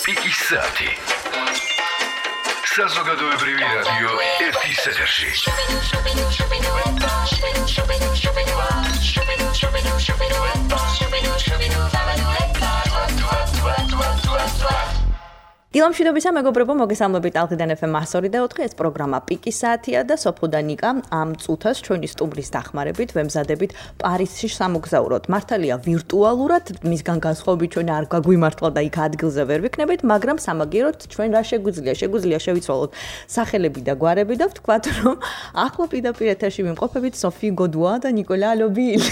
Piki-Sati. Საზოგადოებრივი რადიო ერთის ეთერში. დილამშვიდობისა მეგობრებო, მოგესალმებით ალღიდან FM 102.4 ეს პროგრამა პიკი-საათია და სოფო და ნიკა ამ წუთას ჩვენი სტუმრის დახმარებით ვემზადებით პარიზში სამოგზაუროდ. მართალია ვირტუალურად, მისგან განსხვავებით ჩვენ არ გაგვიმართლა და იქ ადგილზე ვერ ვიქნებით, მაგრამ სამაგიეროდ ჩვენ რა შეგვიძლია შევიცვალოთ სახელები და გვარები და ვთქვათ, რომ ახლა პირდაპირ ეთერში ვიმყოფებით სოფი გოდუა და ნიკოლა ლობილ.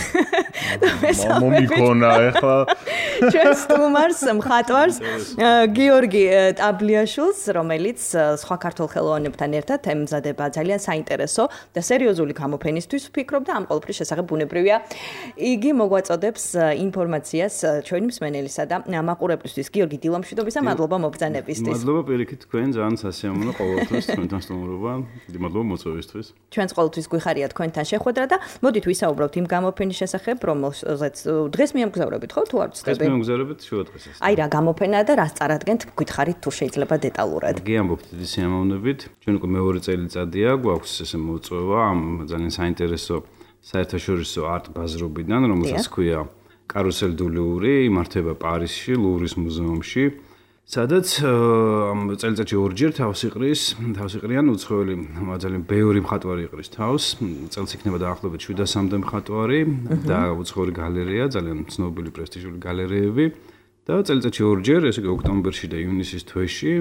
მომიქონა ახლა ჩვენ სტუმარს მხატვარს გიორგი ტაბლიაშვილს, რომელიც სხვა ქართულ ხელოვანებთან ერთად ემზადება ძალიან საინტერესო და სერიოზული გამოფენისთვის ვფიქრობ და ამ ყოველფრის შესახებ ბუნებრივია. იგი მოგვაწოდებს ინფორმაციას ჩვენი მსმენელისა და მაყურებლისთვის. გიორგი, დილამშვიდობისა, მადლობა მობრძანებისთვის. მადლობა პირიქით თქვენ, ძალიან სასიამოვნო ყოველთვის თქვენთან სტუმრობა. მადლობა მოწვევისთვის. ჩვენს ყოველთვის გვიხარია თქვენთან შეხვედრა და მოდით ვისაუბროთ იმ გამოფენის შესახებ, რომელზეც დღეს მიემგზავრებით, ხო თუ არ ვცდები? დღეს მიემგზავრებით შუა დღეს. აი რა გამოფენაა და რას წარადგენთ, გითხარით თუ შეიძლება დეტალურად. გიამბობთ დიდი სიამოვნებით. ჩვენ უკვე მეორე წელიწადია გვაქვს ესე მოწვევა ამ ძალიან საინტერესო საერთაშორისო არტ ბაზრობიდან, რომელსაც ქვია კარუსელ დუ ლუვრი, იმართება პარიზში, ლუვრის მუზეუმში. სადაც ამ წელიწადში ორჯერ თავს იყრიან უცხოელი ძალიან ბევრი მხატვარი იყრის თავს. წელს იქნება დაახლოებით 700-მდე მხატვარი და უცხოელი გალერეა, ძალიან ცნობილი პრესტიჟული გალერეები. და წელიწადში ორჯერ, ესე იგი ოქტომბერში და ივნისის თვეში,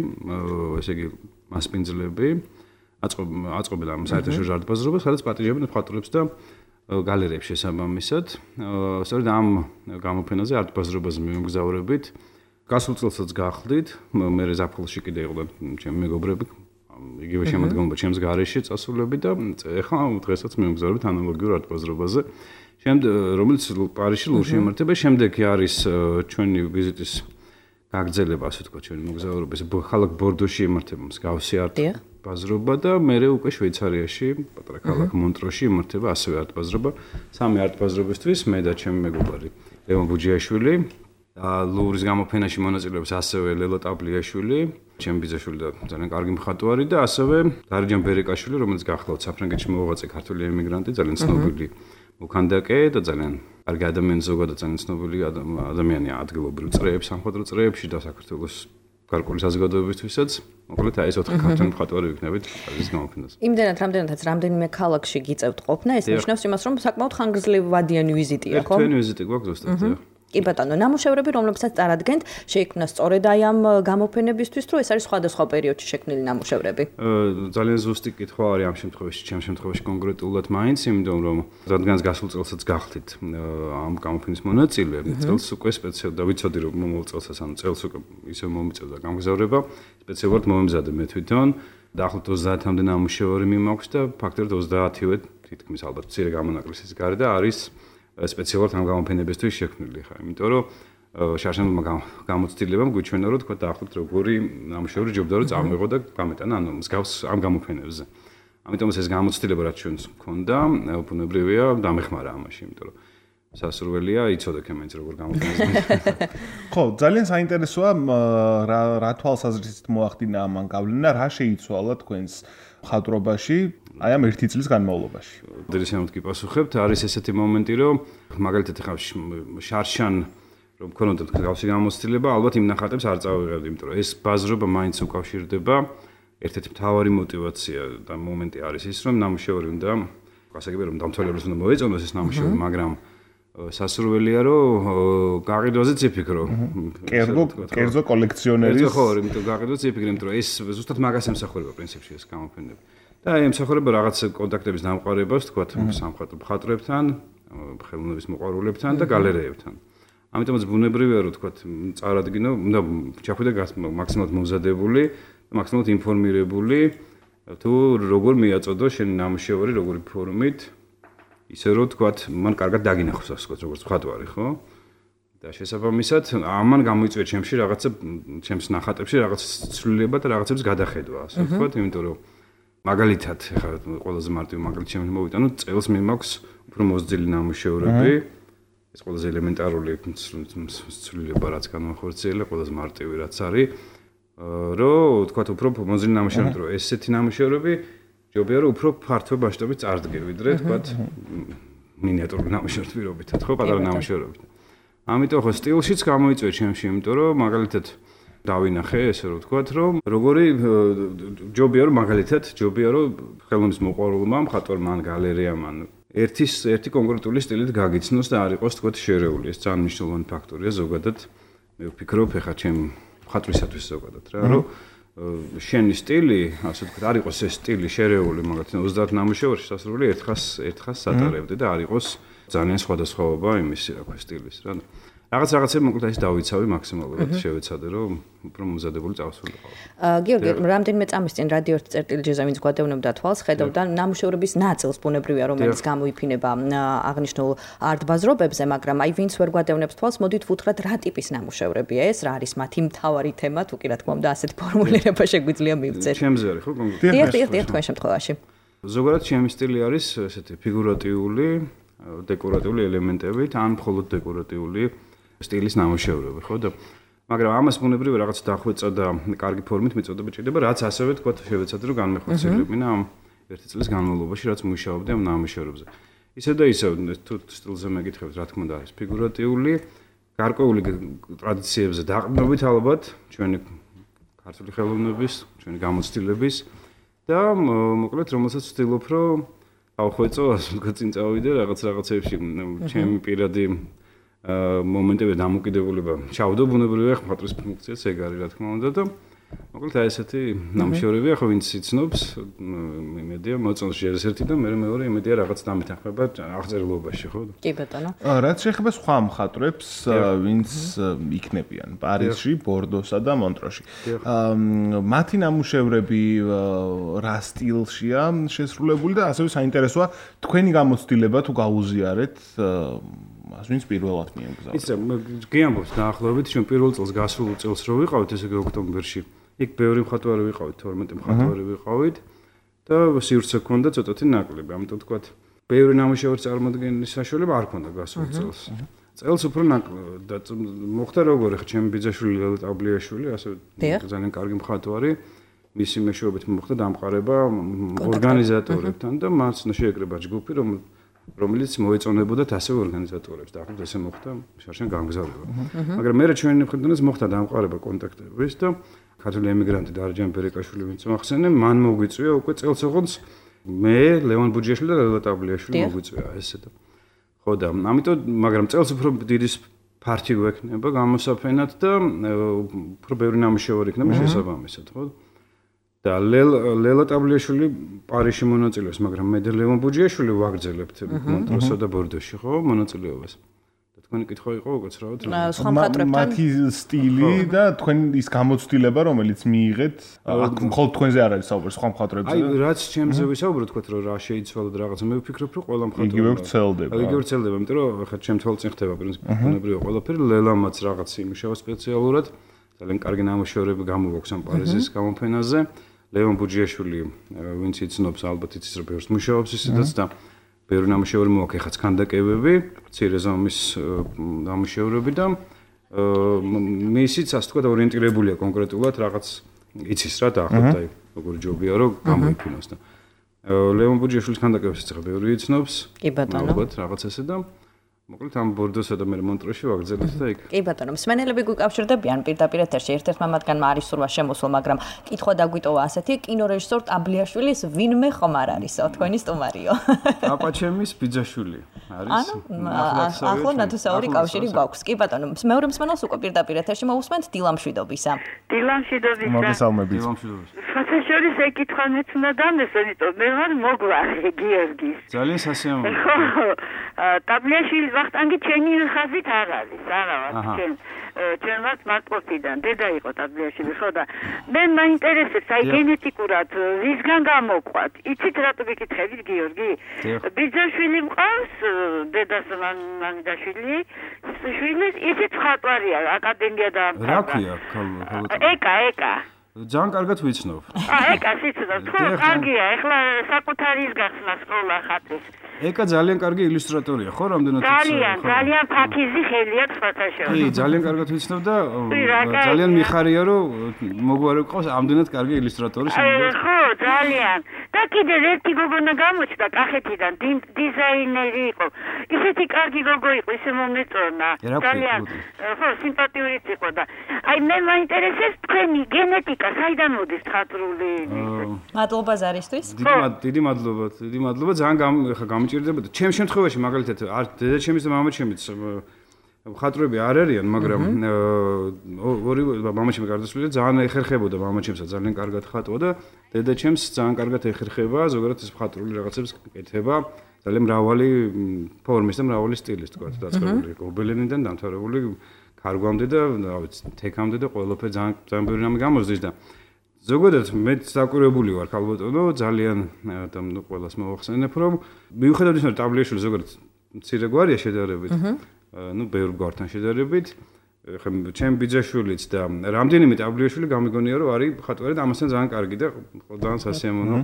ესე იგი მასპინძლები აწყობენ ამ საერთაშორისო არტ ბაზრობას, სადაც პატიჟებენ მხატვრებს და გალერეებს შესაბამისად. სწორედ ამ გამოფენაზე არტ ბაზრობაზე მივემგზავრებით. გასულ წელსაც გახლდით, მე ზაფხულში კიდე იყვნენ ჩემი მეგობრები, იგივე შემოდგომობა ჩემს გარეშე წასულები და ეხლა დღესაც მივემგზავრებით ანალოგიურ არტ ბაზრობაზე. რომელიც პარიზში ლუვრში იმართება, შემდეგ არის ჩვენი ვიზიტის გაგრძელება, ასე ვთქვათ, ჩვენი მოგზაურობის ქალაქ ბორდოში იმართება მსგავსი არტ ბაზრობა და მერე უკვე შვეიცარიაში, პატარა ქალაქ მონტროში იმართება ასევე არტ ბაზრობა. სამი არტ ბაზრობისთვის მე და ჩემი მეგობარი ლევან ბუჯიაშვილი. ლუვრის გამოფენაში მონაწილეობს ასევე ლელო ტაბლიაშვილი, ჩემი ბიძაშვილი და ძალიან კარგი მხატვარი და ასევე დარიჯან ბერეკაშვილი, რომელიც გახლავთ საფრანგეთში მოღვაწე ქართული ემიგრანტი, ძალიან ცნობილი მოქანდაკე და ძალიან კარგი ადამიანი, ზოგადად ძალიან ცნობილი ადამიანია ადგილობრივ წრეებს, სამხატვრო წრეებში და საქართველოს გარკვეული საზოგადოებისთვისაც. მოკლედ აი ეს 4 ქართული მხატვარი ვიქნებით პარიზის გამოფენაზე. იმდენად რამდენიმე ქალაქში გიწევთ ყოფნა, ეს ნიშნავს იმას, რომ საკმაოდ ხანგრძლივადიანი ვიზიტია, ხო? ერთვიანი ვიზიტი გვაქვს ზუსტად. კი ბატონო, ნამუშევრები, რომლებსაც წარადგენთ, შეიქმნა სწორედ აი ამ გამოფენებისთვის, თუ ეს არის სხვადასხვა პერიოდში შექმნილი ნამუშევრები? ძალიან ზუსტი კითხვა არის ამ შემთხვევაში, ჩემ შემთხვევაში კონკრეტულად მაინც, იმიტომ რომ რადგანაც გასულ წელსაც გახლით ამ გამოფენის მონაწილე, წელს უკვე სპეციალურად და ვიცოდი რომ მომავალ წელსაც, ანუ წელს უკვე ისე მომიწევდა გამგზავრება, სპეციალურად მომემზადე მე თვითონ, დაახლოებით 30-მდე ნამუშევარი მიმაქვს და ფაქტობრივად 30-ვე თითქმის ალბათ მცირე გამონაკლისის გარდა არის სპეციალურად ამ გამოფენებისთვის შექმნილი ხარ, იმიტომ რომ შარშანულმა გამოცდილებამ გვიჩვენა რომ თქვა დაახლოებით როგორი ნამუშევარი ჯობდა რომ წამეღო და გამეტანა ანუ მსგავს ამ გამოფენებზე. ამიტომ ეს გამოცდილება რაც ჩვენს მქონდა, ბუნებრივია დამეხმარა ამაში, იმიტომ რომ სასურველია იცოდე კემენც როგორ გამოფენაზე. ხო, ძალიან საინტერესოა რა თვალსაზრისით მოახდინა ამ გავლენა, რა შეიცვალა თქვენს მხატვრობაში აი ამ ერთი წლის განმავლობაში. დირექტორად გიპასუხებთ, არის ესეთი მომენტი, რომ მაგალითად ახლა შარშან რომ ქონოდეთ გავსი გამოცდილება, ალბათ იმ ნახატებს არ წავიღებდი, იმიტომ რომ ეს ბაზრობა მაინც უკავშირდება. ერთ-ერთი მთავარი мотиваცია და მომენტი არის ის, რომ ნამუშევარი უნდა, ასე იგი რომ დამთვალიერებლად უნდა მოეწონოს ეს ნამუშევარი, მაგრამ სასურველია რომ გაყიდვაზეც იფიქრო. კერძო კოლექციონერის ხო, იმიტომ გაყიდვაზეც იფიქრე, იმიტომ რომ ეს ზუსტად მაგას ემსახურება პრინციპში ეს გამოფენები. და ემსახურება რაღაც კონტაქტების დამყარებას, თქვათ, სამხატვრო მხატვრებთან, ხელოვნების მოყვარულებთან და გალერეებთან. ამიტომაც ბუნებრივია რომ თქვათ, წარადგინო, უნდა ჩახვიდე მაქსიმალურად მომზადებული, მაქსიმალურად ინფორმირებული, თუ როგორ მიაწოდო შენი ნამუშევარი, როგორი ფორმით, ისე რომ თქვათ, მან კარგად დაგინახოს, ასე ვთქვათ, როგორც მხატვარი, ხო? და შესაბამისად, ამან გამოიწვია ჩემში რაღაცა, ჩემს ნახატებში რაღაც ცვლილება და რაღაცების გადახედვა, ასე ვთქვათ, იმიტომ რომ მაგალითად, ახლა ყველაზე მარტივი მაგალითი შემოვიტანო, წელს მე მაქვს უფრო მოსძილი ნამუშევრები ეს ყველაზე ელემენტარული ცვლილება რაც განახორციელა, ყველაზე მარტივი რაც არის, რომ თქვათ უფრო მოზრდილი ნამუშევრები, რომ ესეთი ნამუშევრები ჯობია რომ უფრო ფართო მასშტაბით წარდგე, ვიდრე თქვათ მინიატურული ნამუშევრები პირობითად, ხო, პატარა ნამუშევრები. ამიტომ ხო სტილშიც გამოიწვია ჩემში, იმიტომ რომ მაგალითად დავინახე ესე რომ ვთქვათ, რომ როგორი ჯობია რომ მაგალითად ჯობია რომ ხელოვნის მოყვარულმა მხატვარმა ან გალერეამ ან ერთი კონკრეტული სტილით გაგიცნოს და არ იყოს თქვათ შერეული. ეს ძალიან მნიშვნელოვანი ფაქტორია ზოგადად. მე ვფიქრობ ხა ჩემ მხატვრისათვის ზოგადად რა, რომ შენი სტილი, ასე ვთქვათ, არ იყოს ეს სტილი შერეული, მაგალითად 30 ნამუშევრში სასრული ერთხას სატარებდი და არ იყოს ძალიან სხვადასხვაობა იმისი რა ქვია სტილის რა. რაღაცები მოკლედ ის დავიცავი მაქსიმალურად შევეცადე რომ უფრო მომზადებული წავსულიყო. გიორგი, რამდენიმე წამის წინ რადიო 1.jz-ზე ვინც გვადევნებდა თვალს, ხედავდა ნამუშევრების ნაწილს ბუნებრივია რომელიც გამოიფინება აღნიშნულ არტ-ბაზრობებზე, მაგრამ აი ვინც ვერ გვადევნებს თვალს, მოდით ვუთხრათ რა ტიპის ნამუშევრებია ეს, რა არის მათი მთავარი თემა, თუ კი რა თქმა უნდა ასეთი ფორმულირება შეგვიძლია მივწერთ. ჩემზე არის ხო კონკრეტულად? დიახ, თქვენ შემთხვევაში. ზოგადად ჩემი სტილი არის ესეთი ფიგურატიული, დეკორატიული ელემენტებით, ან მხოლოდ დეკორატიული სტილის ნამუშევრები, ხო და მაგრამ ამას ბუნებრივი რაღაც დახვეწა და კარგი ფორმით მიწოდება ჭირდება, რაც ასევე თქვა შევეცადე რომ განმეხორციელებინა ამ ერთი წლის განმავლობაში, რაც მუშაობდი ამ ნამუშევრებზე. ისე და ისე თუ სტილზე მეკითხებთ, რა თქმა უნდა არის ფიგურატიული, გარკვეული ტრადიციებზე დაყრდნობით ალბათ ჩვენი ქართული ხელოვნების, ჩვენი გამოცდილების და მოკლედ რომელსაც ვცდილობ რომ ავხვეწო, ასე ვთქვათ, წინ წავიდე რაღაცებში ჩემი პირადი მომენტები დამოკიდებულება ჩავდო ბუნებრივია მხატვრის ფუნქციაც ეგ არის რა თქმა უნდა და მოკლედ აი ესეთი ნამუშევრებია ხო ვინც იცნობს იმედია მოწონს ეს ერთი და მეორე იმედია რაღაც დამეთანხმება აღწერილობაში ხო კი ბატონო რაც შეეხება სხვა მხატვრებს ვინც იქნებიან პარიზში, ბორდოსა და მონტროში მათი ნამუშევრები რა სტილშია შესრულებული და ასევე საინტერესოა თქვენი გამოცდილება თუ გაუზიარეთ ვინც პირველად მიემგზავრა. იცი, გიამბობთ დაახლოებით, ჩვენ პირველ წელს გასულ წელს რო ვიყავით, ესე იგი ოქტომბერში. იქ ბევრი მხატვარი ვიყავით, 12 მხატვარი ვიყავით და სივრცე ჰქონდა ცოტათი ნაკლები. ამიტომ თქვათ, ბევრი ნამუშევრის წარმოდგენის საშუალება არ ჰქონდა გასულ წელს. წელს უფრო ნაკლები და მოხდა როგორი ხა ჩემი ბიძაშვილი ლელა ტაბლიაშვილი, ასე ძალიან კარგი მხატვარი. მისი მეშვეობით მოხდა დამყარება ორგანიზატორებთან და მას შეეკრება ჯგუფი, რომელიც მოეწონებოდათ ასევე ორგანიზატორებს და ახლა ესე მოხდა შარშან გამგზავრება. მაგრამ მე ჩვენი მხრიდან მოხდა დამყარება კონტაქტების და ქართული ემიგრანტი დარჯან ბერეკაშვილი ვინც მოახსენე, მან მოგვიწვია უკვე წელს ოღონდ მე ლევან ბუჯიაშვილი და ლელა ტაბლიაშვილი მოგვიწვია ესე და ხო და ამიტომ მაგრამ წელს უფრო დიდი ფართი გვექნება გამოსაფენად და უფრო ბევრი ნამუშევარი იქნება შესაბამისად, ხო? და ლელა ტაბლიაშვილი პარიზში მონაწილეობს, მაგრამ მე და ლევან ბუჯიაშვილი ვაგრძელებთ მონტროსსა და ბორდოში, ხო, მონაწილეობას. და თქვენი კითხვა იყო უკაცრავად სხვა მხატვრებთან მათი სტილი და თქვენ ის გამოცდილება, რომელიც მიიღეთ, მხოლოდ თქვენზე არ არის საუბარი, სხვა მხატვრებზე. აი, რაც ჩემზე ვისაუბრო, თქვათ, რომ რა შეიცვალა და რაღაცა, მე ვფიქრობ, რომ ყველა მხატვარი იგივე ვრცელდება. იგივე ვრცელდება, იმიტომ რომ ხა ჩემ თვალწინ ხდება პრინციპი ბუნებრივია ყველაფერი, ლელამაც რაღაც იმუშავა სპეციალურად, ძალიან კარგი ნამუშევრები გამოვაქვს ამ პარიზის გამოფენაზე. ლევან ბუჯიაშვილი, ვინც იცნობს, ალბათ იცის, რომ ბევრს მუშაობს ისედაც და ბევრი ნამუშევარი მოაქვს, ეხაც ქანდაკებები, მცირე ზომის ნამუშევრები და მისიც, ასე ვთქვათ, ორიენტირებულია კონკრეტულად რაღაც იცის რა დაახლოებით, აი, როგორი ჯობია, რომ გამოიფინოს და ლევან ბუჯიაშვილის ქანდაკებებსაც ახლა ბევრი იცნობს. კი ბატონო. ალბათ რაღაც ესე და მოკლედ ამ ბორდოსა და მე მონტროში ვაგრძელებთ და იქ. კი ბატონო, მსმენელები გვიკავშირდებიან პირდაპირ ეთერში. ერთ-ერთმა მათგანმა არის სურვა შემოსულ, მაგრამ კითხვა დაგვიტოვა ასეთი, კინორეჟისორ ტაბლიაშვილის ვინმე ხომ არ არისო, თქვენი სტუმარიო. აპაჩემის ბიძაშვილი არის. ახლა ნათოსაური კავშირი გვაქვს. კი ბატონო, მეორე მსმენელს უკვე პირდაპირ ეთერში მოусმენთ დილამშვიდობისა. დილამშვიდობისა. მოგესალმებით. ფათაშორის ეკითხვა მეც უნდა დამესვენ, იმიტომ მე ვარ მოგვარი გიორგის. ძალიან სასიამოვნო. ტაბლიაშვილის ვახტანგი ჩემი ხაზით არ არის, არა ვარ ჩემවත් მარტყოფიდან დედა იყო ტაბლიაშვილი, ხო და მე მაინტერესებს აი გენეტიკურად ვისგან გამოყვათ. იცით რატო გიკითხებით გიორგი? ბიძაშვილი მყავს, დედას მამიდაშვილი, შვილი, იცით მხატვარია, აკადემია დაამთავრა. რა ქვია? ეკა. ძალიან კარგად ვიცნობ. ეკა სიცოდა, თუ კარგია, ეხლა საკუთარის გახსნა სკოლა ხატვის. ეკა ძალიან კარგი ილუსტრატორია, ხო, რამდენად ძალიან ფაქიზი ხელი აქვს ფოტოშოპში. კი, ძალიან კარგად ვიცნობ და ძალიან მიხარია, რომ მოგვარებ ყავს ამდენად კარგი ილუსტრატორი შემდგომ. ხო, ძალიან. და კიდევ ერთი გოგონა გამოჩნდა კახეთიდან, დიზაინერი იყო. ისეთი კარგი გოგო იყო, ისე მომეწონა. ძალიან ხო, სიმპათიურიც იყო და აი მე მაინტერესებს თქვენი გენეტიკა საიდან მოდის ხატრული? მადლობა ზარისთვის. დიდი მადლობა, ძალიან გამიჭირდებოდა. ჩემს შემთხვევაში მაგალითად არ დედაჩემის და მამაჩემიც ხატრები არ არიან, მაგრამ ორი მამაჩემი გარდაცვლილი ძალიან ეხერხებოდა მამაჩემსაც ძალიან კარგად ხატვა და დედაჩემს ძალიან კარგად ეხერხება, ზოგადად ეს ხატრული რაღაცებს კეთება. ძალიან მრავალი ფორმის და მრავალი სტილის თქვა, დაწყებული გობელენიდან დამთავრებული ქარგვამდე და რა ვიცი, თეკამდე და ყველაფერი ძალიან ბევრი რამე გამოსდის და ზოგადად მე საკურებული ვარ ქალბატონო, ძალიან და ყველას მოვახსენებ, რომ მიუხედავად იმისა, რომ ტაბლიაშვილი ზოგადად მცირე გვარია შედარებით, ბევრ გვართან შედარებით, ხა ჩემ ბიძაშვილიც და რამდენიმე ტაბლიაშვილი გამიგონია, რომ არის ხატვარი და ამასთან ძალიან კარგი და ძალიან სასიამოვნო.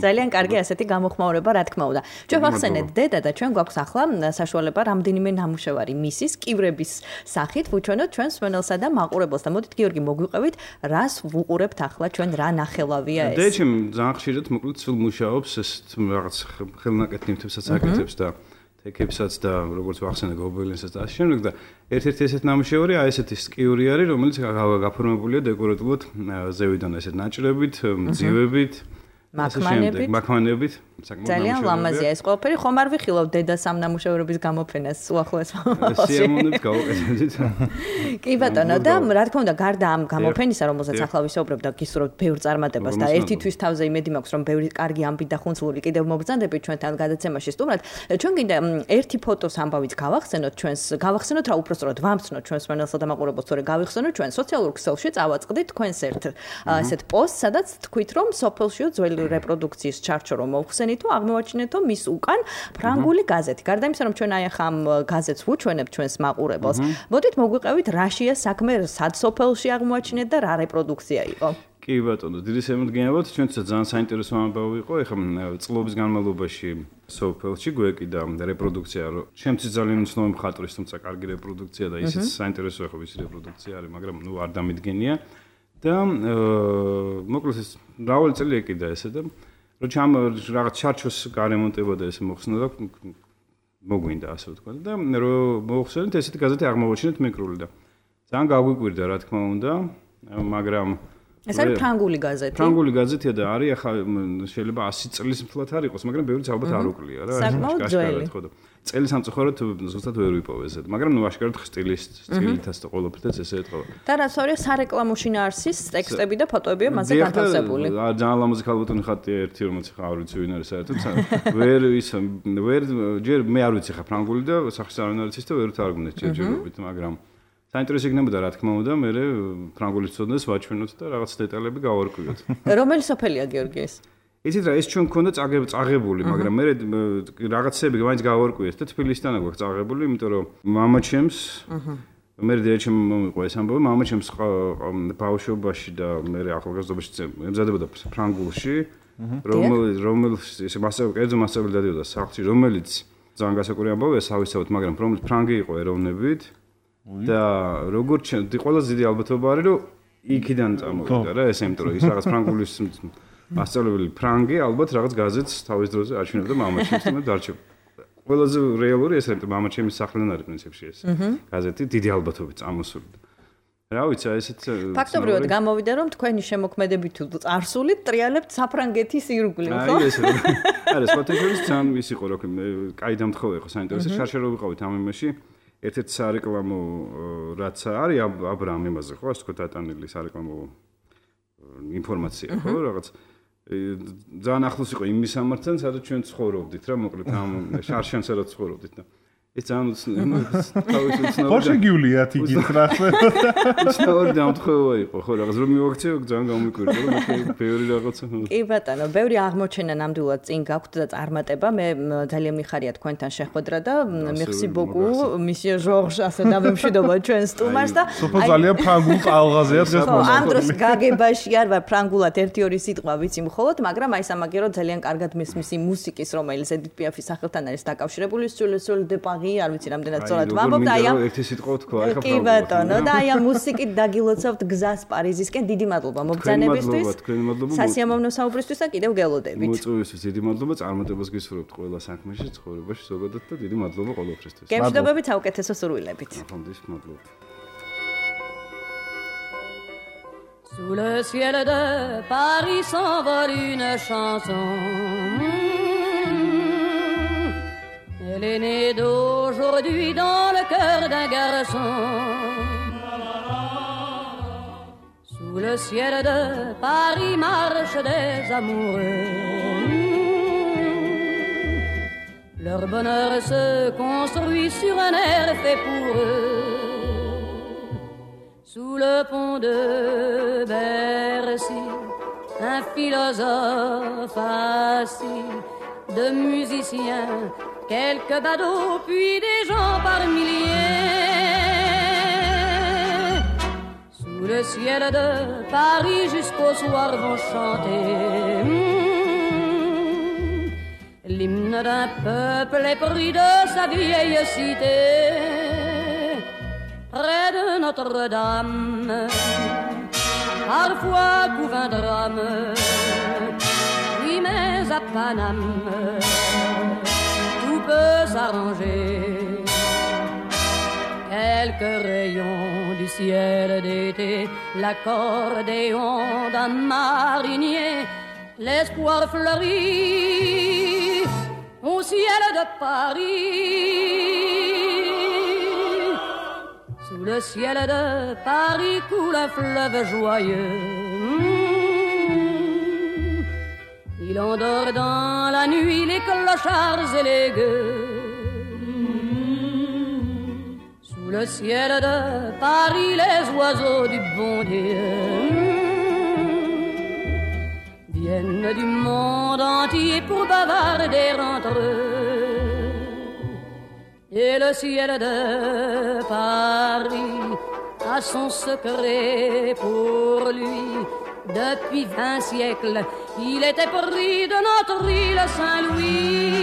ძალიან კარგი ასეთი გამოხმაურება, რა თქმა უნდა. ჩვენ ვახსენეთ დედა და ჩვენ გვაქვს ახლა საშუალება რამდენიმე ნამუშევარი მისის კივრების სახით ვუჩვენოთ ჩვენს მენელსა და მაყურებელს და მოდით გიორგი მოგვიყევით, რას ვუყურებთ ახლა ჩვენ, რა ნახელავია ეს. დედაჩემ ძალიან ხშირად მოკლედ სულ მუშაობს ეს რაღაც ხელნაკეთ ნივთებსაც აკეთებს და თექებსაც და როგორც ვახსენე გობელენსაც და ასე შემდეგ და ერთ-ერთი ესეთ ნამუშევარი აი ესეთი სკიური არის, რომელიც გაფორმებულია დეკორატიულად ზევიდან ესეთ ნაჭრებით, მძივებით, მაქმანებით. ძალიან ლამაზია ეს ყველაფერი, ხომ არ ვიხილავ დედა სამ ნამუშევრების გამოფენას უახლოეს მომავალში. სიამოვნებით გავუკეთებთ. კი ბატონო და რა თქმა უნდა გარდა ამ გამოფენისა, რომელზეც ახლა ვისაუბრებ და გისურვებთ ბევრ წარმატებას და ერთი თვის თავზე იმედი მაქვს, რომ ბევრი კარგი ამბი და ხუნძლური კიდევ მოგბრძანდებით ჩვენთან გადაცემაში სტუმრად. ჩვენ კიდე ერთი ფოტოს ამბავიც გავახსენოთ რა უпростоრად ვამცნოთ ჩვენს მენელსა და მაყურებელს, თორე გავიხსენოთ ჩვენ სოციალურ ქსელში წავაწყდით თქვენს ესეთ პოსტს, სადაც თქვით რომ სოფელშიო ძველი რეპროდუქციის ჩარჩო რომ მოვხსენით თუ აღმოაჩინეთო მის უკან ფრანგული გაზეთი. გარდა იმისა, რომ ჩვენ აი ახლა ამ გაზეთს ვუჩვენებთ ჩვენს მაყურებელს, მოდით მოგვიყევით რაშია საქმე, სად სოფელში აღმოაჩინეთ და რა რეპროდუქცია იყო. კი ბატონო, დიდი შემოდგენიათ, ჩვენთვის ძალიან საინტერესო ამბავი იყო. ეხლა წლების განმავლობაში სოფელში გვეკიდა რეპროდუქცია, რომ ჩემთვის ძალიან უცნობი მხატვრის, თუმცა კარგი რეპროდუქცია და ისიც საინტერესოა ხო ის რეპროდუქცია არის, მაგრამ არ დამიდგენია. და მოკლედ ეს მრავალი წელი ეკიდა ესე და როჩამ რაღაც ჩარჩოს გარემონტება და ესე მოხსნა და მოგვინდა ასე ვთქვა და რომ მოხსენეთ ესეთი გაზეთი აღმოვაჩინეთ მიკრული და ძალიან გაგვიკვირდა რა თქმა უნდა, მაგრამ ეს არის ფრანგული გაზეთი. ფრანგული გაზეთია და არის ახლა შეიძლება 100 წლის მთლად არ იყოს, მაგრამ ბევრიც ალბათ არ უკლია რა. საკმაოდ ძველი. წელი სამწუხაროდ ზუსტად ვერ ვიპოვე ესეთ, მაგრამ ნუ აშკარად სტილითაც და ყველაფერთან ესე ეთქვა. და რაც არის სარეკლამო შინაარსის ტექსტები და ფოტოებია მასზე განთავსებული. ძალიან ლამაზი ქალბატონი ხატია ერთი, რომელიც ხა არ ვიცი ვინ არის საერთოდ. ვერ ჯერ მე არ ვიცი ხა ფრანგული და სახის არ არის და ვერ თარგმნეთ ჯერჯერობით, მაგრამ საინტერესო იქნებოდა რა თქმა უნდა, მე ფრანგულის ცოდნას ვაჩვენოთ და რაღაც დეტალები გავარკვიოთ. რომელი სოფელია გიორგი ეს? იცით რა, ეს ჩვენ მქონდა წაღებული, მაგრამ მე რაღაცები მაინც გავარკვიეთ და თბილისიდან გვაქვს წაღებული, იმიტომ რომ მამაჩემს მე დედაჩემ მომიყვა ეს ამბავი, მამაჩემს ბავშვობაში და მე ახალგაზრდობაში ემზადებოდა ფრანგულში, რომელიც ესე კერძო მასწავლებელი დადიოდა სახლში, რომელიც ძალიან გასაკვირი ამბავია, სავისავთ, მაგრამ რომელიც ფრანგი იყო ეროვნებით და როგორც ყველაზე დიდი ალბათობა არის, რომ იქიდან წამოვიდა რა, ესე იმიტომ რომ ის რაღაც ფრანგულის მასწავლებელი ფრანგი ალბათ რაღაც გაზეთს თავის დროზე აჩვენებდა მამაჩემს და დარჩა. ყველაზე რეალური ეს არის მამაჩემის სახლიდან არის პრინციპში ეს გაზეთი დიდი ალბათობით წამოსული. რა ვიცი, ესეც ფაქტობრივად გამოვიდა რომ თქვენი შემოქმედები თუ წარსულით ტრიალებთ საფრანგეთის ირგვლივ, ხო? აი ეს არის სპორტეჟერის ძალიან ის იყო რომ კაი დამთხოვე იყო საინტერესო შარშარო ვიყავით ამ იმაში. ერთ-ერთი სარეკლამო რაც არის აბრაამ იმაზე ხო, ასე თქვა დატანილი სარეკლამო ინფორმაცია ხო, რაღაც ძალიან ახლოს იყო იმ მისამართთან, სადაც ჩვენ ცხოვრობდით რა, მოკლედ ამ შარშანს სადაც ცხოვრობდით და ეს ძალიან თავისუფლად ხო შეგიuliათ იგიც რა უცნაური დამთხევა იყო ხო რაღაც რომ მივაქციო ძალიან გამიკვირდა რომ ბევრი რაღაცა კი ბატონო ბევრი აღმოჩენა ნამდვილად წინ გაქვთ და წარმატება მე ძალიან მიხარია თქვენთან შეხვედრა და merci beaucoup monsieur Georges ასე დამემშვიდობა ჩვენ სტუმარს და სოფო ძალიან ფრანგულ ყალღაზეა დღეს ამ დროს გაგებაში არ ვარ ფრანგულად 1-2 სიტყვა ვიცი მხოლოდ მაგრამ აი სამაგერო ძალიან კარგად მისმის იმ მუსიკის რომელიც Edith Piaf-ის სახელთან არის დაკავშირებული Sur de Paris არ ვიცი რამდენად სწორად ვამბობ და აი ამ ერთი სიტყვა თქვა ახლა კი ბატონო და აი ამ მუსიკით დაგილოცავთ გზას პარიზისკენ დიდი მადლობა მობრძანებისთვის სასიამოვნო საუბრისთვის და კიდევ გელოდებით მოწვევისთვის დიდი მადლობა წარმატებას გისურვებთ ყველა საქმეში ცხოვრებაში ზოგადად და დიდი მადლობა ყოველთვის გემშვიდობებით საუკეთესო სურვილებით აფონდის მადლობა Sous le ciel de Paris s'envole une chanson Elle est née d'aujourd'hui dans le cœur d'un garçon Sous le ciel de Paris marchent des amoureux Leur bonheur se construit sur un air fait pour eux Sous le pont de Bercy, un philosophe assis, de musiciens, quelques badauds, puis des gens par milliers. Sous le ciel de Paris jusqu'au soir vont chanter l'hymne d'un peuple épris de sa vieille cité. Près de Notre-Dame, parfois couvre un drame, oui mais à Paname, tout peut s'arranger. Quelques rayons du ciel d'été, l'accordéon d'un marinier, l'espoir fleurit au ciel de Paris. Sous le ciel de Paris coule un fleuve joyeux. Il endort dans la nuit les clochards et les gueux. Sous le ciel de Paris les oiseaux du bon Dieu viennent du monde entier pour bavarder entre eux. Et le ciel de Paris a son secret pour lui. Depuis 20 siècles, il était pris de notre île Saint-Louis.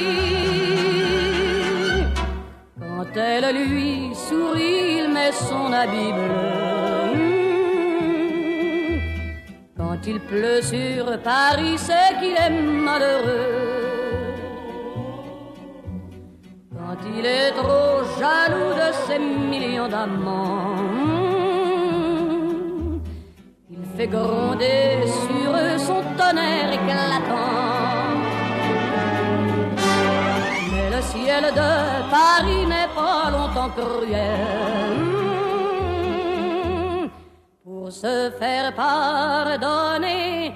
Quand elle lui sourit, il met son habit bleu. Quand il pleut sur Paris, c'est qu'il est malheureux. Quand il est trop jaloux de ses millions d'amants, il fait gronder sur eux son tonnerre éclatant. Mais le ciel de Paris n'est pas longtemps cruel. Pour se faire pardonner,